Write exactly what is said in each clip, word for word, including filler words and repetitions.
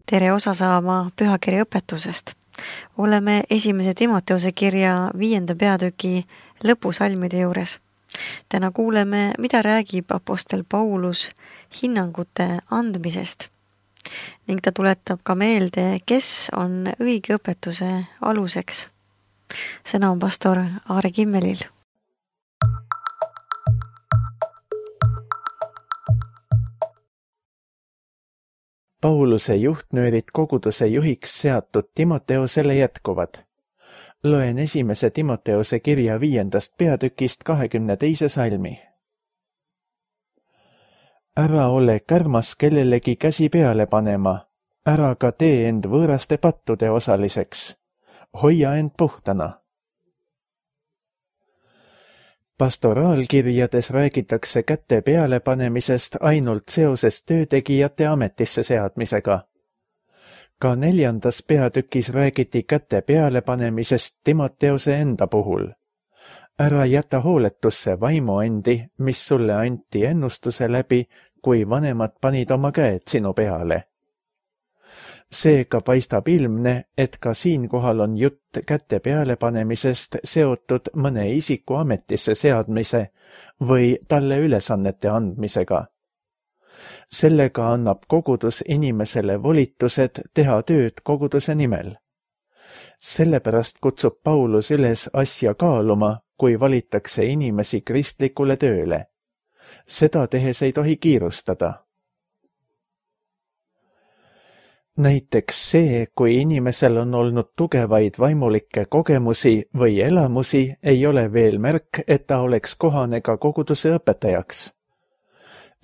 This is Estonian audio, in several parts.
tere osa saama pühakirja õpetusest. Oleme esimese Timoteuse kirja viienda peatüki lõpusalmide juures. Täna kuuleme, mida räägib apostel Paulus hinnangute andmisest ning ta tuletab ka meelde, kes on õige õpetuse aluseks. Sõna on pastor Aare Kimmelil. Pauluse juhtnöörid koguduse juhiks seatud Timoteusele jätkuvad. Loen esimese Timoteuse kirja viiendast peatükist kahekümne teise salmi. Ära ole kärmas kellelegi käsi peale panema, ära ka tee end võõraste pattude osaliseks. Hoia end puhtana. Pastoraalkirjades räägitakse kätte peale panemisest ainult seoses töötegijate ametisse seadmisega. Ka neljandas peatükis räägiti kätte peale panemisest Timoteuse enda puhul. Ära jäta hooletusse vaimuendi, mis sulle anti ennustuse läbi, kui vanemad panid oma käed sinu peale. Seega paistab ilmne, et ka siinkohal on jutt kätte peale panemisest seotud mõne isiku ametisse seadmise või talle ülesannete andmisega. Sellega annab kogudus inimesele volitused teha tööd koguduse nimel. Sellepärast kutsub Paulus üles asja kaaluma, kui valitakse inimesi kristlikule tööle. Seda tehes ei tohi kiirustada. Näiteks see, kui inimesel on olnud tugevaid vaimulikke kogemusi või elamusi, ei ole veel märk, et ta oleks kohane ka koguduse õpetajaks.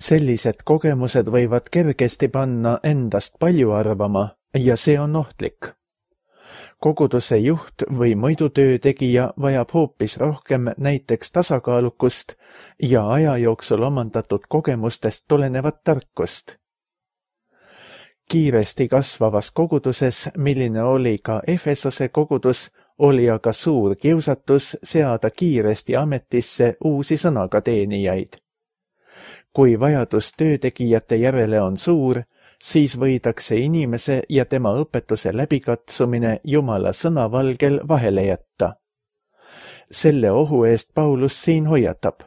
Sellised kogemused võivad kergesti panna endast palju arvama ja see on ohtlik. Koguduse juht või muidu töötegija vajab hoopis rohkem näiteks tasakaalukust ja aja jooksul omandatud kogemustest tulenevat tarkust. Kiiresti kasvavas koguduses, milline oli ka Efesose kogudus, oli aga suur kiusatus seada kiiresti ametisse uusi sõnaga teenijaid. Kui vajadus töötegijate järele on suur, siis võidakse inimese ja tema õpetuse läbikatsumine Jumala sõnavalgel vahele jätta. Selle ohu eest Paulus siin hoiatab.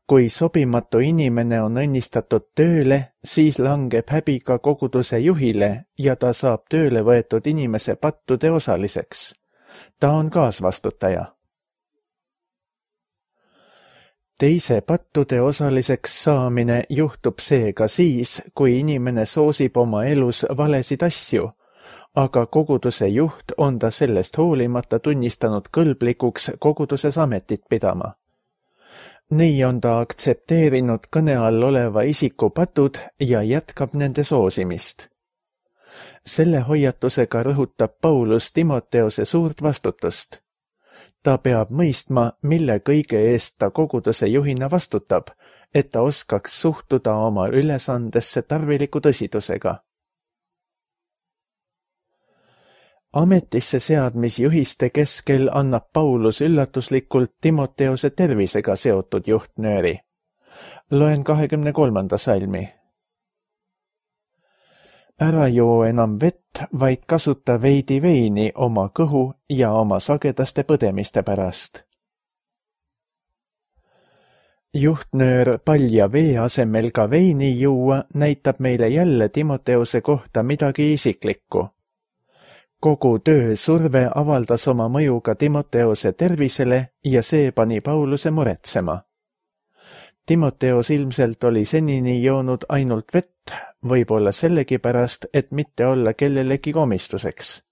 Kui sobimatu inimene on õnnistatud tööle, siis langeb häbi ka koguduse juhile ja ta saab tööle võetud inimese pattude osaliseks. Ta on kaasvastutaja. Teise pattude osaliseks saamine juhtub seega siis, kui inimene soosib oma elus valesid asju, aga koguduse juht on ta sellest hoolimata tunnistanud kõlblikuks koguduses ametit pidama. Nii on ta aktsepteerinud kõne all oleva isiku patud ja jätkab nende soosimist. Selle hoiatusega rõhutab Paulus Timoteuse suurt vastutust. Ta peab mõistma, mille kõige eest ta koguduse juhina vastutab, et ta oskaks suhtuda oma ülesandesse tarviliku tõsidusega. Ametisse seadmisjuhiste keskel annab Paulus üllatuslikult Timoteuse tervisega seotud juhtnööri. Loen kahekümne kolmanda salmi. Ära joo enam vett, vaid kasuta veidi veini oma kõhu ja oma sagedaste põdemiste pärast. Juhtnöör palja vee asemel ka veini juua näitab meile jälle Timoteuse kohta midagi isiklikku. Kogu töö surve avaldas oma mõju ka Timoteuse tervisele ja see pani Pauluse muretsema. Timoteus ilmselt oli senini joonud ainult vett, võib-olla sellegipärast, et mitte olla kellelegi komistuseks.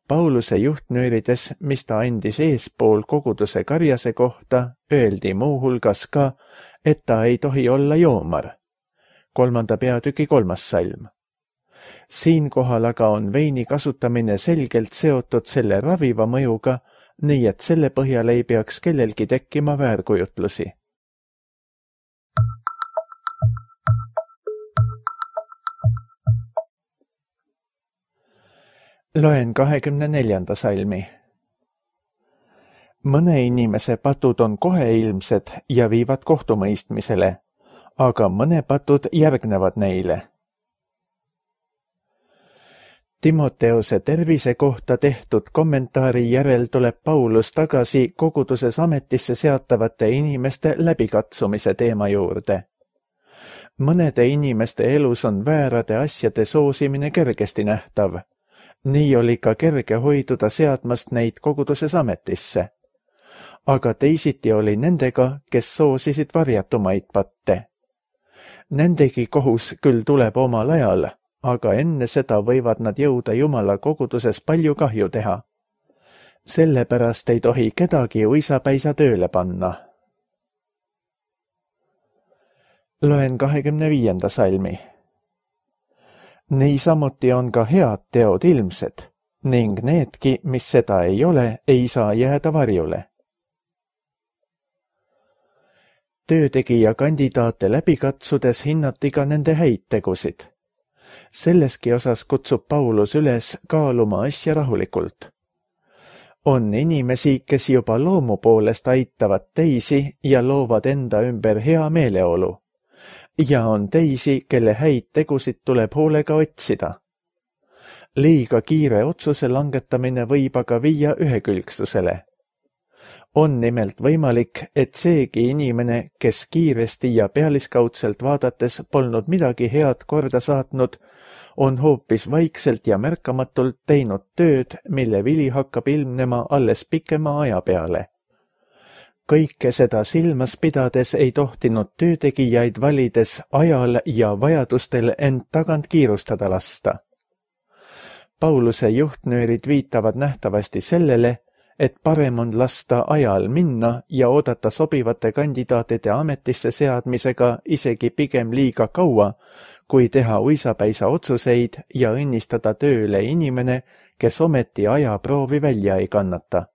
Pauluse juhtnöörides, mis ta andis eespool koguduse karjase kohta, öeldi muuhulgas ka, et ta ei tohi olla joomar. Kolmanda peatüki kolmas salm. Siinkohal aga on veini kasutamine selgelt seotud selle raviva mõjuga, nii et selle põhjal ei peaks kellelgi tekkima väärkujutlusi. Loen kahekümne neljanda salmi. Mõne inimese patud on koheilmsed ja viivad kohtumõistmisele, aga mõne patud järgnevad neile. Timoteose tervise kohta tehtud kommentaari järel tuleb Paulus tagasi koguduses ametisse seatavate inimeste läbikatsumise teema juurde. Mõnede inimeste elus on väärade asjade soosimine kergesti nähtav. Nii oli ka kerge hoiduda seadmast neid koguduses ametisse. Aga teisiti oli nendega, kes soosisid varjatumaid patte. Nendegi kohus küll tuleb omal ajal, aga enne seda võivad nad jõuda Jumala koguduses palju kahju teha. Sellepärast ei tohi kedagi uisapäisa tööle panna. Loen kahekümne viienda salmi. Niisamuti on ka head teod ilmsed, ning needki, mis seda ei ole, ei saa jääda varjule. Töötegija kandidaate läbikatsudes hinnati ka nende häid tegusid. Selleski osas kutsub Paulus üles kaaluma asja rahulikult. On inimesi, kes juba loomu poolest aitavad teisi ja loovad enda ümber hea meeleolu. Ja on teisi, kelle häid tegusid tuleb hoolega otsida. Liiga kiire otsuse langetamine võib aga viia ühekülgsusele. On nimelt võimalik, et seegi inimene, kes kiiresti ja pealiskaudselt vaadates polnud midagi head korda saatnud, on hoopis vaikselt ja märkamatult teinud tööd, mille vili hakkab ilmnema alles pikema aja peale. Kõike seda silmas pidades ei tohtinud töötegijaid valides ajal ja vajadustel end tagant kiirustada lasta. Pauluse juhtnöörid viitavad nähtavasti sellele, et parem on lasta ajal minna ja oodata sobivate kandidaatide ametisse seadmisega isegi pigem liiga kaua, kui teha uisapäisa otsuseid ja õnnistada tööle inimene, kes ometi ajaproovi välja ei kannata.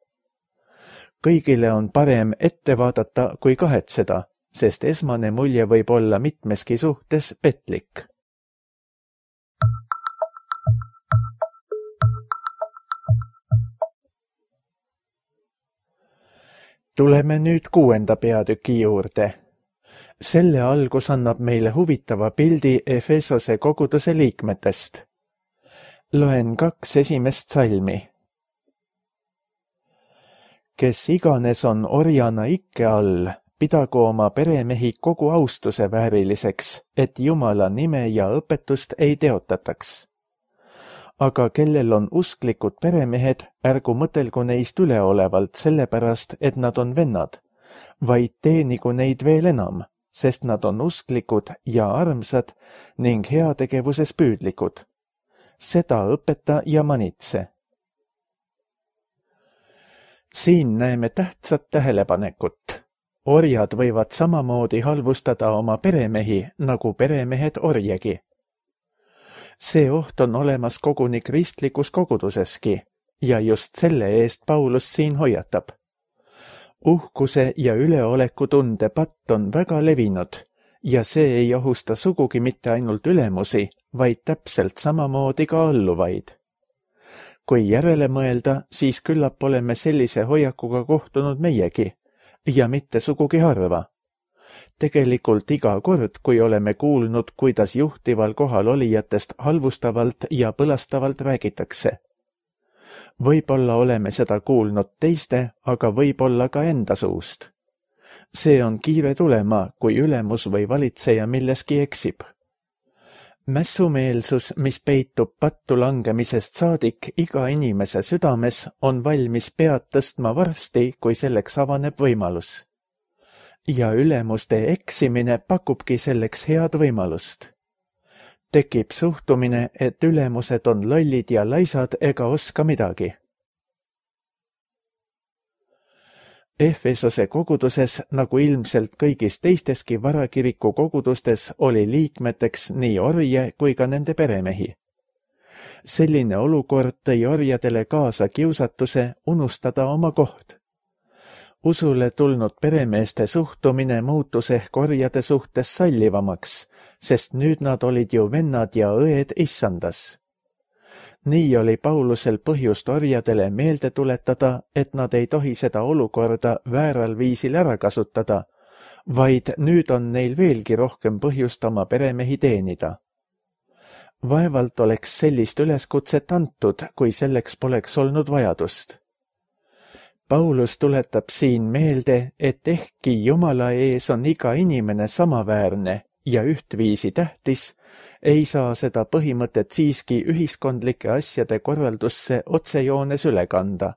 Kõigile on parem ette vaadata kui kahetseda, sest esmane mulje võib olla mitmeski suhtes petlik. Tuleme nüüd kuuenda peatüki juurde. Selle algus annab meile huvitava pildi Efesose koguduse liikmetest. Loen kaks esimest salmi. Kes iganes on orjana ikke all, pidagu oma peremehi kogu austuse vääriliseks, et Jumala nime ja õpetust ei teotataks. Aga kellel on usklikud peremehed, ärgu mõtelgu neist üleolevalt sellepärast, et nad on vennad, vaid teenigu neid veel enam, sest nad on usklikud ja armsad ning heategevuses püüdlikud. Seda õpeta ja manitse. Siin näeme tähtsat tähelepanekut. Orjad võivad samamoodi halvustada oma peremehi, nagu peremehed orjegi. See oht on olemas koguni kristlikus koguduseski ja just selle eest Paulus siin hoiatab. Uhkuse ja üleolekutunde patt on väga levinud ja see ei ohusta sugugi mitte ainult ülemusi, vaid täpselt samamoodi ka alluvaid. Kui järele mõelda, siis küllap oleme sellise hoiakuga kohtunud meiegi ja mitte sugugi harva. Tegelikult iga kord, kui oleme kuulnud, kuidas juhtival kohal olijatest halvustavalt ja põlastavalt räägitakse. Võib-olla oleme seda kuulnud teiste, aga võib-olla ka enda suust. See on kiire tulema, kui ülemus või valitseja milleski eksib. Mässumeelsus, mis peitub pattu langemisest saadik iga inimese südames, on valmis pead tõstma varsti, kui selleks avaneb võimalus. Ja ülemuste eksimine pakubki selleks head võimalust. Tekib suhtumine, et ülemused on lollid ja laisad ega oska midagi. Efesose koguduses, nagu ilmselt kõigis teisteski varakiriku kogudustes, oli liikmeteks nii orje kui ka nende peremehi. Selline olukord tõi orjadele kaasa kiusatuse unustada oma koht. Usule tulnud peremeeste suhtumine muutus ehk orjade suhtes sallivamaks, sest nüüd nad olid ju vennad ja õed issandas. Nii oli Paulusel põhjust orjadele meelde tuletada, et nad ei tohi seda olukorda vääral viisil ära kasutada, vaid nüüd on neil veelgi rohkem põhjust oma peremehi teenida. Vaevalt oleks sellist üleskutset antud, kui selleks poleks olnud vajadust. Paulus tuletab siin meelde, et ehkki Jumala ees on iga inimene samaväärne ja ühtviisi tähtis, ei saa seda põhimõtet siiski ühiskondlike asjade korraldusse otsejoones üle kanda.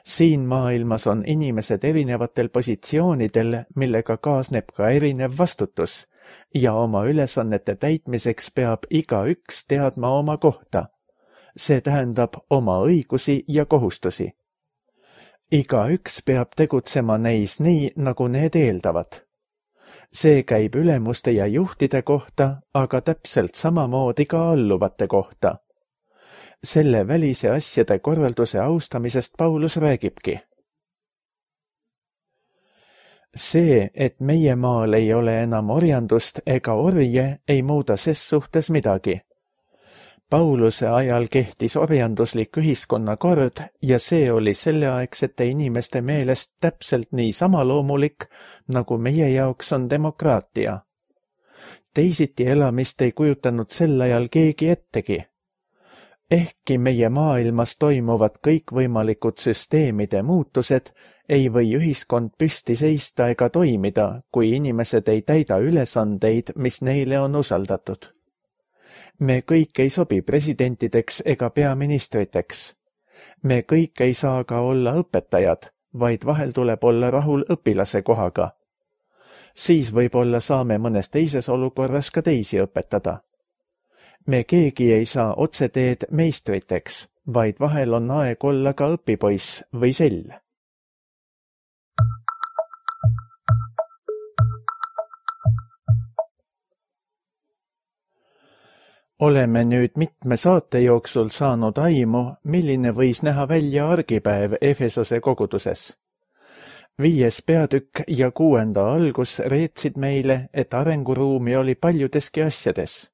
Siin maailmas on inimesed erinevatel positsioonidel, millega kaasneb ka erinev vastutus ja oma ülesannete täitmiseks peab igaüks teadma oma kohta. See tähendab oma õigusi ja kohustusi. Igaüks peab tegutsema neis nii, nagu need eeldavad. See käib ülemuste ja juhtide kohta, aga täpselt samamoodi ka alluvate kohta. Selle välise asjade korralduse austamisest Paulus räägibki. See, et meie maal ei ole enam orjandust ega orje, ei muuda ses suhtes midagi. Pauluse ajal kehtis orjanduslik ühiskonnakord ja see oli selleaegsete inimeste meelest täpselt nii samaloomulik, nagu meie jaoks on demokraatia. Teisiti elamist ei kujutanud sel ajal keegi ettegi. Ehkki meie maailmas toimuvad kõikvõimalikud süsteemide muutused, ei või ühiskond püsti seista ega toimida, kui inimesed ei täida ülesandeid, mis neile on usaldatud. Me kõik ei sobi presidentideks ega peaministriteks. Me kõik ei saa ka olla õpetajad, vaid vahel tuleb olla rahul õpilase kohaga. Siis võib-olla saame mõnes teises olukorras ka teisi õpetada. Me keegi ei saa otseteed meistriteks, vaid vahel on aeg olla ka õpipoiss või sell. Oleme nüüd mitme saate jooksul saanud aimu, milline võis näha välja argipäev Efesose koguduses. Viies peatükk ja kuuenda algus reetsid meile, et arenguruumi oli paljudeski asjades.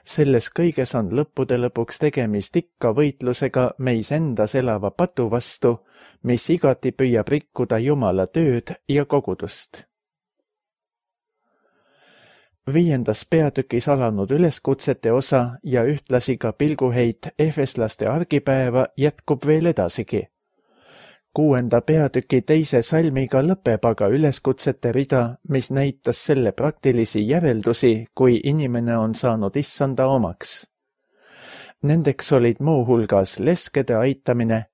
Selles kõiges on lõppude lõpuks tegemist ikka võitlusega meis endas elava patu vastu, mis igati püüab rikkuda Jumala tööd ja kogudust. Viiendas peatükis alanud üleskutsete osa ja ühtlasi ka pilguheit efeslaste argipäeva jätkub veel edasigi. Kuuenda peatüki teise salmiga lõpeb aga üleskutsete rida, mis näitas selle praktilisi järeldusi, kui inimene on saanud issanda omaks. Nendeks olid muuhulgas leskede aitamine,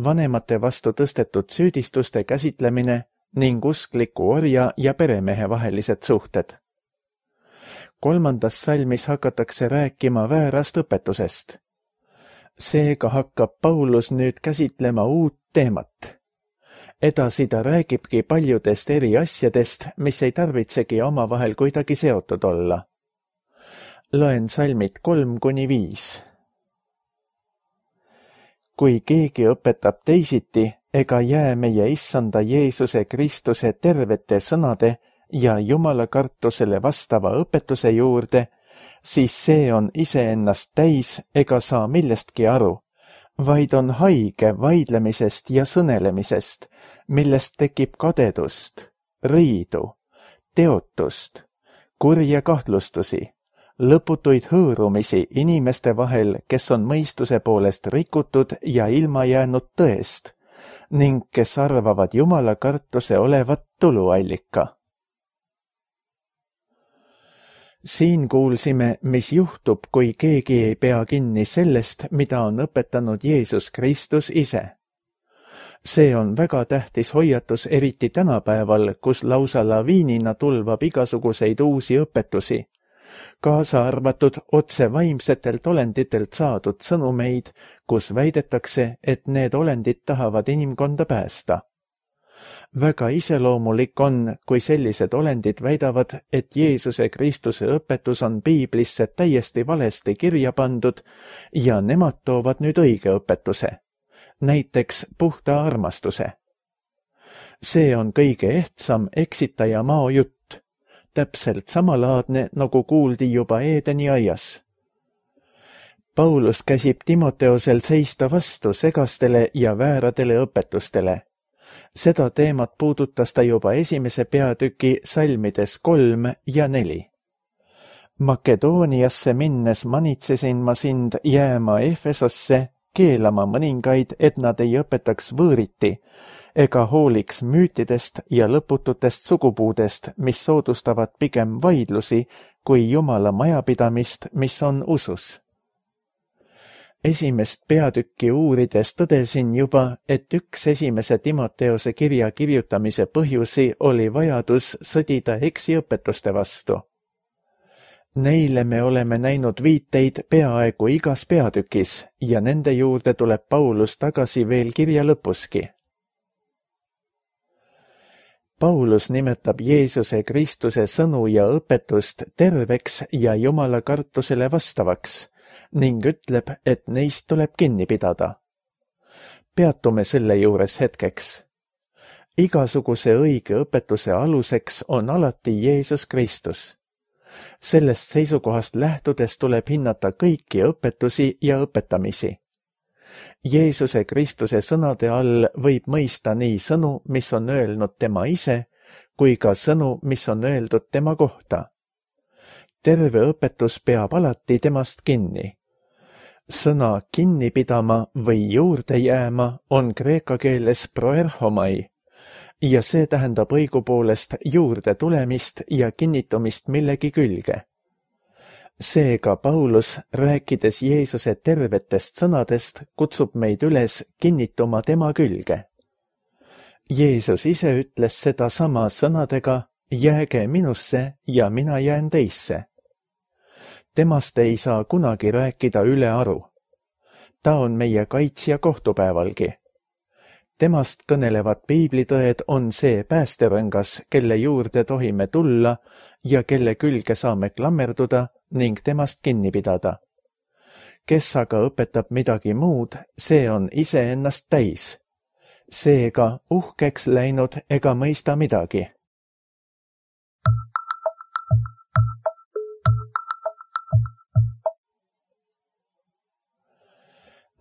vanemate vastu tõstetud süüdistuste käsitlemine ning uskliku orja ja peremehe vahelised suhted. Kolmandas salmis hakatakse rääkima väärast õpetusest. Seega hakkab Paulus nüüd käsitlema uut teemat. Edasi ta räägibki paljudest eri asjadest, mis ei tarvitsegi omavahel kuidagi seotud olla. Loen salmid kolm kuni viis. Kui keegi õpetab teisiti, ega jää meie issanda Jeesuse Kristuse tervete sõnade ja Jumala kartusele vastava õpetuse juurde, siis see on iseennast täis ega saa millestki aru, vaid on haige vaidlemisest ja sõnelemisest, millest tekib kadedust, riidu, teotust, kurja kahtlustusi, lõputuid hõõrumisi inimeste vahel, kes on mõistuse poolest rikutud ja ilma jäänud tõest, ning kes arvavad Jumala kartuse olevat tuluallika. Siin kuulsime, mis juhtub, kui keegi ei pea kinni sellest, mida on õpetanud Jeesus Kristus ise. See on väga tähtis hoiatus eriti tänapäeval, kus lausa laviinina tulvab igasuguseid uusi õpetusi, kaasa arvatud otse vaimsetelt olenditelt saadud sõnumeid, kus väidetakse, et need olendid tahavad inimkonda päästa. Väga iseloomulik on, kui sellised olendid väidavad, et Jeesuse Kristuse õpetus on piiblisse täiesti valesti kirja pandud ja nemad toovad nüüd õige õpetuse, näiteks puhta armastuse. See on kõige ehtsam eksitaja mao jutt, täpselt samalaadne, nagu kuuldi juba Eedeni aias. Paulus käsib Timoteosel seista vastu segastele ja vääradele õpetustele. Seda teemat puudutas ta juba esimese peatüki salmides kolm ja neli. Makedooniasse minnes manitsesin ma sind jääma Efesosse, keelama mõningaid, et nad ei õpetaks võõriti, ega hooliks müütidest ja lõpututest sugupuudest, mis soodustavad pigem vaidlusi kui Jumala majapidamist, mis on usus. Esimest peatükki uurides tõdesin juba, et üks esimese Timoteose kirja kirjutamise põhjusi oli vajadus sõdida eksiõpetuste vastu. Neile me oleme näinud viiteid peaaegu igas peatükis ja nende juurde tuleb Paulus tagasi veel kirja lõpuski. Paulus nimetab Jeesuse Kristuse sõnu ja õpetust terveks ja Jumala kartusele vastavaks ning ütleb, et neist tuleb kinni pidada. Peatume selle juures hetkeks. Igasuguse õige õpetuse aluseks on alati Jeesus Kristus. Sellest seisukohast lähtudes tuleb hinnata kõiki õpetusi ja õpetamisi. Jeesuse Kristuse sõnade all võib mõista nii sõnu, mis on öelnud tema ise, kui ka sõnu, mis on öeldud tema kohta. Terve õpetus peab alati temast kinni. Sõna kinni pidama või juurde jääma on kreeka keeles proerhomai, ja see tähendab õigupoolest juurde tulemist ja kinnitumist millegi külge. Seega Paulus, rääkides Jeesuse tervetest sõnadest, kutsub meid üles kinnituma tema külge. Jeesus ise ütles seda sama sõnadega, jääge minusse ja mina jään teisse. Temast ei saa kunagi rääkida ülearu. Ta on meie kaitsja kohtupäevalgi. Temast kõnelevad piiblitõed on see päästerõngas, kelle juurde tohime tulla ja kelle külge saame klammerduda ning temast kinni pidada. Kes aga õpetab midagi muud, see on iseennast täis. Seega uhkeks läinud ega mõista midagi.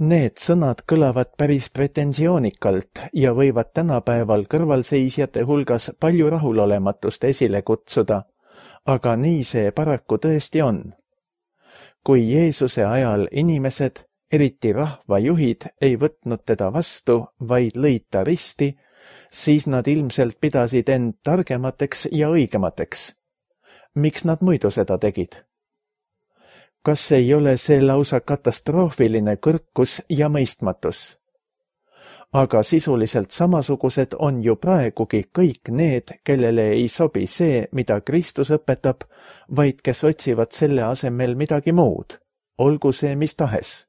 Need sõnad kõlavad päris pretensioonikalt ja võivad tänapäeval kõrvalseisjate hulgas palju rahulolematust esile kutsuda, aga nii see paraku tõesti on. Kui Jeesuse ajal inimesed, eriti rahvajuhid, ei võtnud teda vastu, vaid lõid ta risti, siis nad ilmselt pidasid end targemateks ja õigemateks. Miks nad muidu seda tegid? Kas ei ole see lausa katastroofiline kõrkus ja mõistmatus? Aga sisuliselt samasugused on ju praegugi kõik need, kellele ei sobi see, mida Kristus õpetab, vaid kes otsivad selle asemel midagi muud, olgu see mis tahes.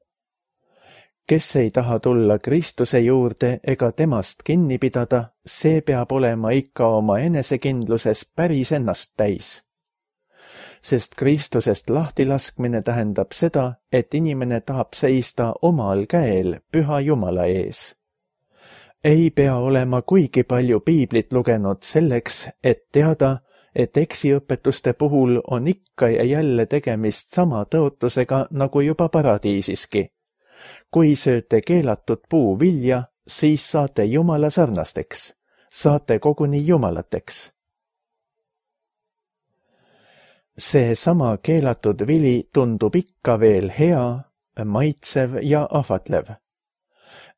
Kes ei taha tulla Kristuse juurde ega temast kinni pidada, see peab olema ikka oma enesekindluses päris ennast täis. Sest Kristusest lahtilaskmine tähendab seda, et inimene tahab seista omal käel püha Jumala ees. Ei pea olema kuigi palju piiblit lugenud selleks, et teada, et eksiõpetuste puhul on ikka ja jälle tegemist sama tõotusega nagu juba paradiisiski. Kui sööte keelatud puu vilja, siis saate Jumala sarnasteks, saate koguni jumalateks. See sama keelatud vili tundub ikka veel hea, maitsev ja ahvatlev.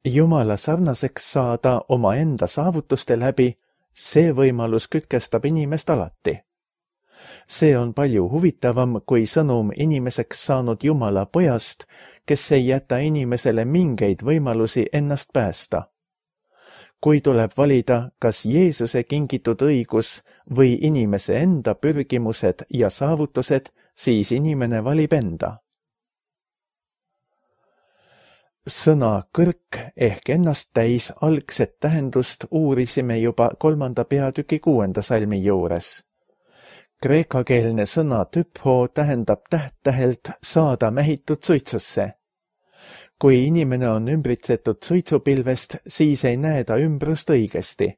Jumala sarnaseks saada oma enda saavutuste läbi, see võimalus kütkestab inimest alati. See on palju huvitavam kui sõnum inimeseks saanud Jumala pojast, kes ei jäta inimesele mingeid võimalusi ennast päästa. Kui tuleb valida, kas Jeesuse kingitud õigus või inimese enda pürgimused ja saavutused, siis inimene valib enda. Sõna kõrk ehk ennast täis algset tähendust uurisime juba kolmanda peatüki kuuenda salmi juures. Kreekakeelne sõna typho tähendab täht-tähelt saada mähitud suitsusse. Kui inimene on ümbritsetud suitsupilvest, siis ei näe ta ümbrust õigesti.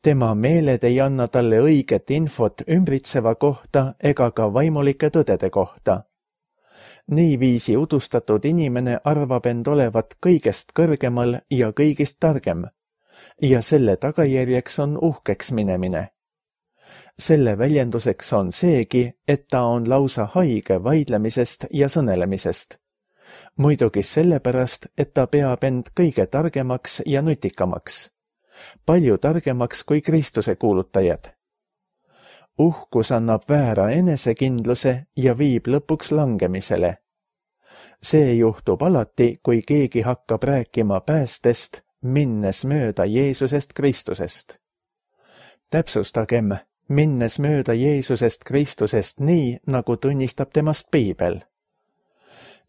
Tema meeled ei anna talle õiget infot ümbritseva kohta ega ka vaimulike tõdede kohta. Niiviisi udustatud inimene arvab end olevat kõigest kõrgemal ja kõigist targem, ja selle tagajärjeks on uhkeks minemine. selle väljenduseks on seegi, et ta on lausa haige vaidlemisest ja sõnelemisest. Muidugi sellepärast, et ta peab end kõige targemaks ja nutikamaks. Palju targemaks kui Kristuse kuulutajad. Uhkus annab väära enesekindluse ja viib lõpuks langemisele. See juhtub alati, kui keegi hakkab rääkima päästest, minnes mööda Jeesusest Kristusest. Täpsustagem, minnes mööda Jeesusest Kristusest nii, nagu tunnistab temast Piibel.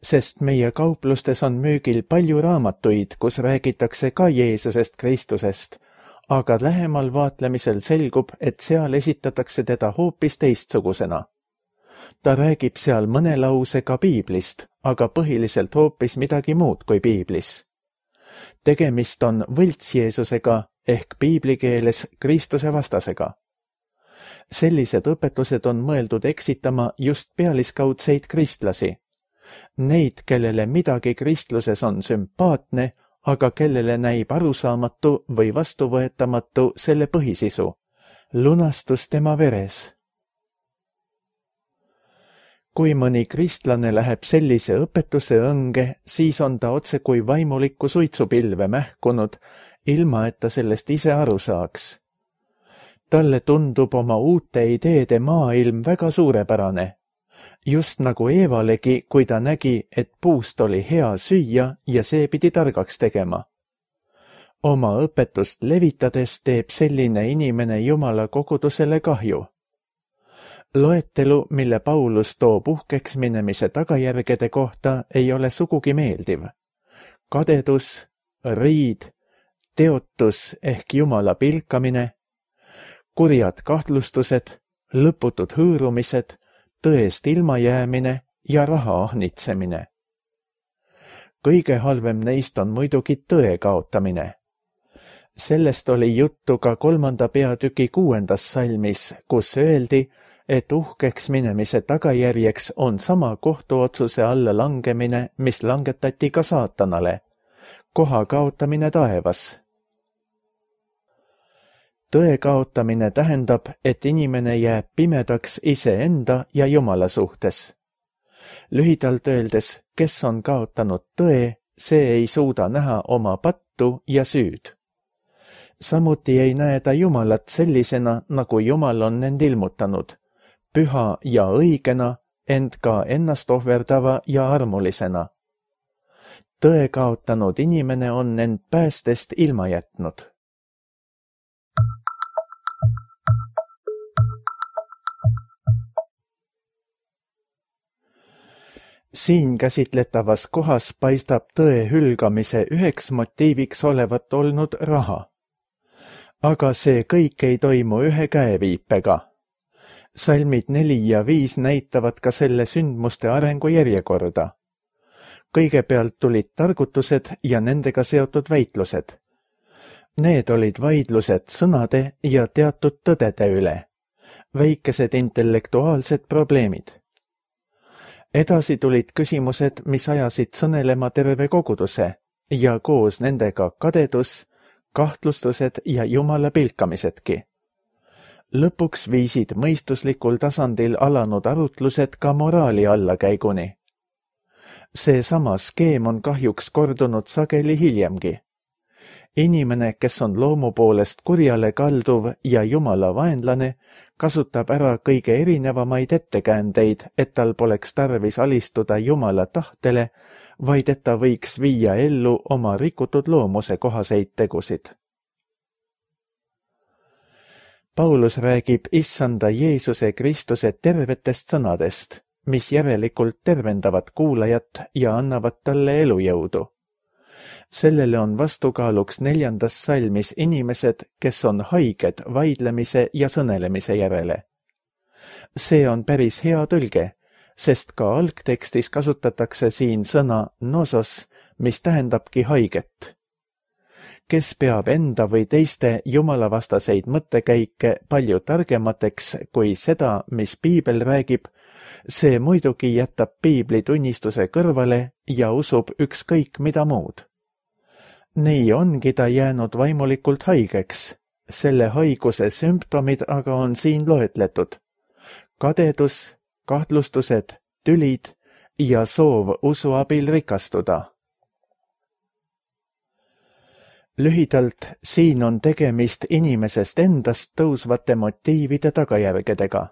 Sest meie kauplustes on müügil palju raamatuid, kus räägitakse ka Jeesusest Kristusest, aga lähemal vaatlemisel selgub, et seal esitatakse teda hoopis teistsugusena. Ta räägib seal mõne lausega Piiblist, aga põhiliselt hoopis midagi muud kui Piiblis. Tegemist on võlts Jeesusega ehk piibli keeles Kristuse vastasega. Sellised õpetused on mõeldud eksitama just pealiskaudseid kristlasi. Neid, kellele midagi kristluses on sümpaatne, aga kellele näib arusaamatu või vastuvõetamatu selle põhisisu. Lunastus tema veres. Kui mõni kristlane läheb sellise õpetuse õnge, siis on ta otse kui vaimulikku suitsupilve mähkunud, ilma et ta sellest ise aru saaks. Talle tundub oma uute ideede maailm väga suurepärane. Just nagu Eevalegi, kui ta nägi, et puust oli hea süüa ja see pidi targaks tegema. Oma õpetust levitades teeb selline inimene Jumala kogudusele kahju. Loetelu, mille Paulus toob uhkeks minemise tagajärgede kohta, ei ole sugugi meeldiv. Kadedus, riid, teotus ehk Jumala pilkamine, kurjad kahtlustused, lõputud hõõrumised, tõest ilmajäämine ja raha ahnitsemine. Kõige halvem neist on muidugi tõe kaotamine. Sellest oli juttu ka kolmanda peatüki kuuendas salmis, kus öeldi, et uhkeks minemise tagajärjeks on sama kohtuotsuse alla langemine, mis langetati ka saatanale. Koha kaotamine taevas. Tõe kaotamine tähendab, et inimene jääb pimedaks iseenda ja Jumala suhtes. Lühidalt öeldes, kes on kaotanud tõe, see ei suuda näha oma pattu ja süüd. Samuti ei näe ta Jumalat sellisena, nagu Jumal on end ilmutanud, püha ja õigena, ent ka ennast ohverdava ja armulisena. Tõe kaotanud inimene on end päästest ilma jätnud. Siin käsitletavas kohas paistab tõe hülgamise üheks motiiviks olevat olnud raha. Aga see kõik ei toimu ühe käeviipega. Salmid neli ja viis näitavad ka selle sündmuste arengu järjekorda. Kõigepealt tulid targutused ja nendega seotud väitlused. Need olid vaidlused sõnade ja teatud tõdede üle, väikesed intellektuaalsed probleemid. Edasi tulid küsimused, mis ajasid sõnelema terve koguduse ja koos nendega kadedus, kahtlustused ja Jumala pilkamisedki. Lõpuks viisid mõistuslikul tasandil alanud arutlused ka moraali allakäiguni. See sama skeem on kahjuks kordunud sageli hiljemgi. Inimene, kes on loomu poolest kurjale kalduv ja Jumala vaenlane, kasutab ära kõige erinevamaid ettekäändeid, et tal poleks tarvis alistuda Jumala tahtele, vaid et ta võiks viia ellu oma rikutud loomuse kohaseid tegusid. Paulus räägib issanda Jeesuse Kristuse tervetest sõnadest, mis järelikult tervendavad kuulajat ja annavad talle elujõudu. Sellele on vastukaaluks neljandas salmis inimesed, kes on haiged vaidlemise ja sõnelemise järele. See on päris hea tõlge, sest ka algtekstis kasutatakse siin sõna nosos, mis tähendabki haiget. Kes peab enda või teiste jumalavastaseid mõttekäike palju targemateks kui seda, mis piibel räägib, see muidugi jätab piibli tunnistuse kõrvale ja usub ükskõik mida muud. Nii ongi ta jäänud vaimulikult haigeks Selle haiguse sümptomid aga on siin loetletud. Kadedus, kahtlustused, tülid ja soov usu abil rikastuda. Lühidalt, siin on tegemist inimesest endast tõusvate motiivide tagajärgedega.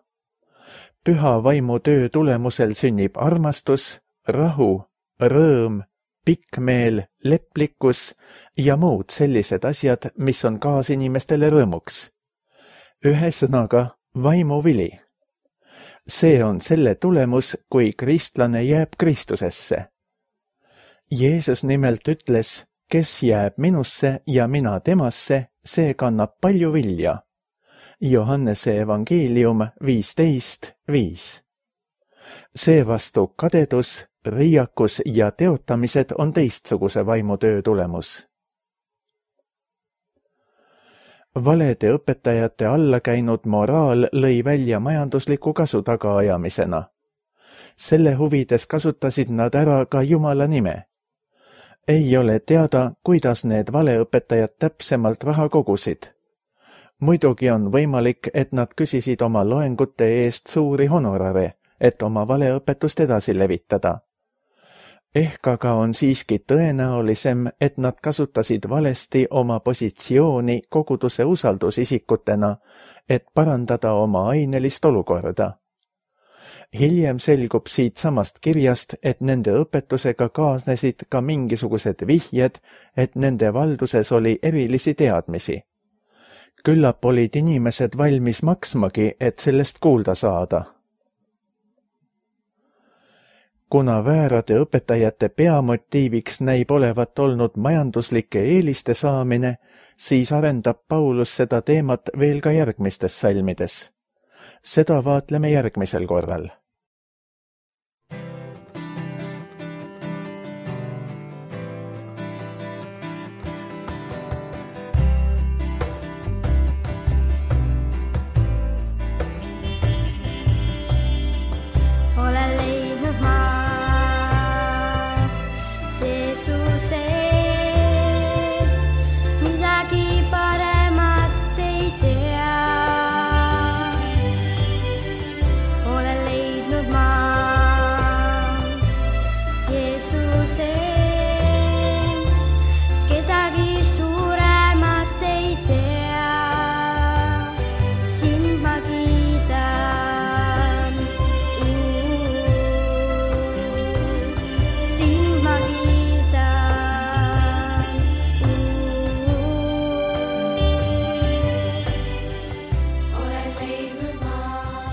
Püha vaimu töö tulemusel sünnib armastus, rahu, rõõm, pikkmeel, leplikkus ja muud sellised asjad, mis on kaasinimestele rõõmuks. Ühesõnaga, vaimuvili. See on selle tulemus, kui kristlane jääb Kristusesse. Jeesus nimelt ütles, kes jääb minusse ja mina temasse, see kannab palju vilja. Johannese evangeelium viisteist viis. Seevastu kadedus, riiakus ja teotamised on teistsuguse vaimutöö tulemus. Valede õpetajate alla käinud moraal lõi välja majandusliku kasu tagaajamisena. Selle huvides kasutasid nad ära ka Jumala nime. Ei ole teada, kuidas need valeõpetajad täpsemalt raha kogusid. Muidugi on võimalik, et nad küsisid oma loengute eest suuri honorare, et oma valeõpetust edasi levitada. Ehk aga on siiski tõenäolisem, et nad kasutasid valesti oma positsiooni koguduse usaldusisikutena, et parandada oma ainelist olukorda. Hiljem selgub siit samast kirjast, et nende õpetusega kaasnesid ka mingisugused vihjed, et nende valduses oli erilisi teadmisi. Küllap olid inimesed valmis maksmagi, et sellest kuulda saada. Kuna väärade õpetajate peamotiiviks näib olevat olnud majanduslike eeliste saamine, siis arendab Paulus seda teemat veel ka järgmistes salmides. Seda vaatleme järgmisel korral.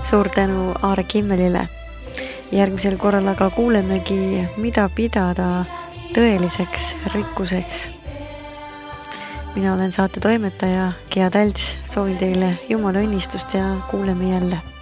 Suur tänu Aare Kimmelile. Järgmisel korral aga kuulemegi, mida pidada tõeliseks rikkuseks. Mina olen saate toimetaja Gea Talts, soovin teile Jumala õnnistust ja kuuleme jälle.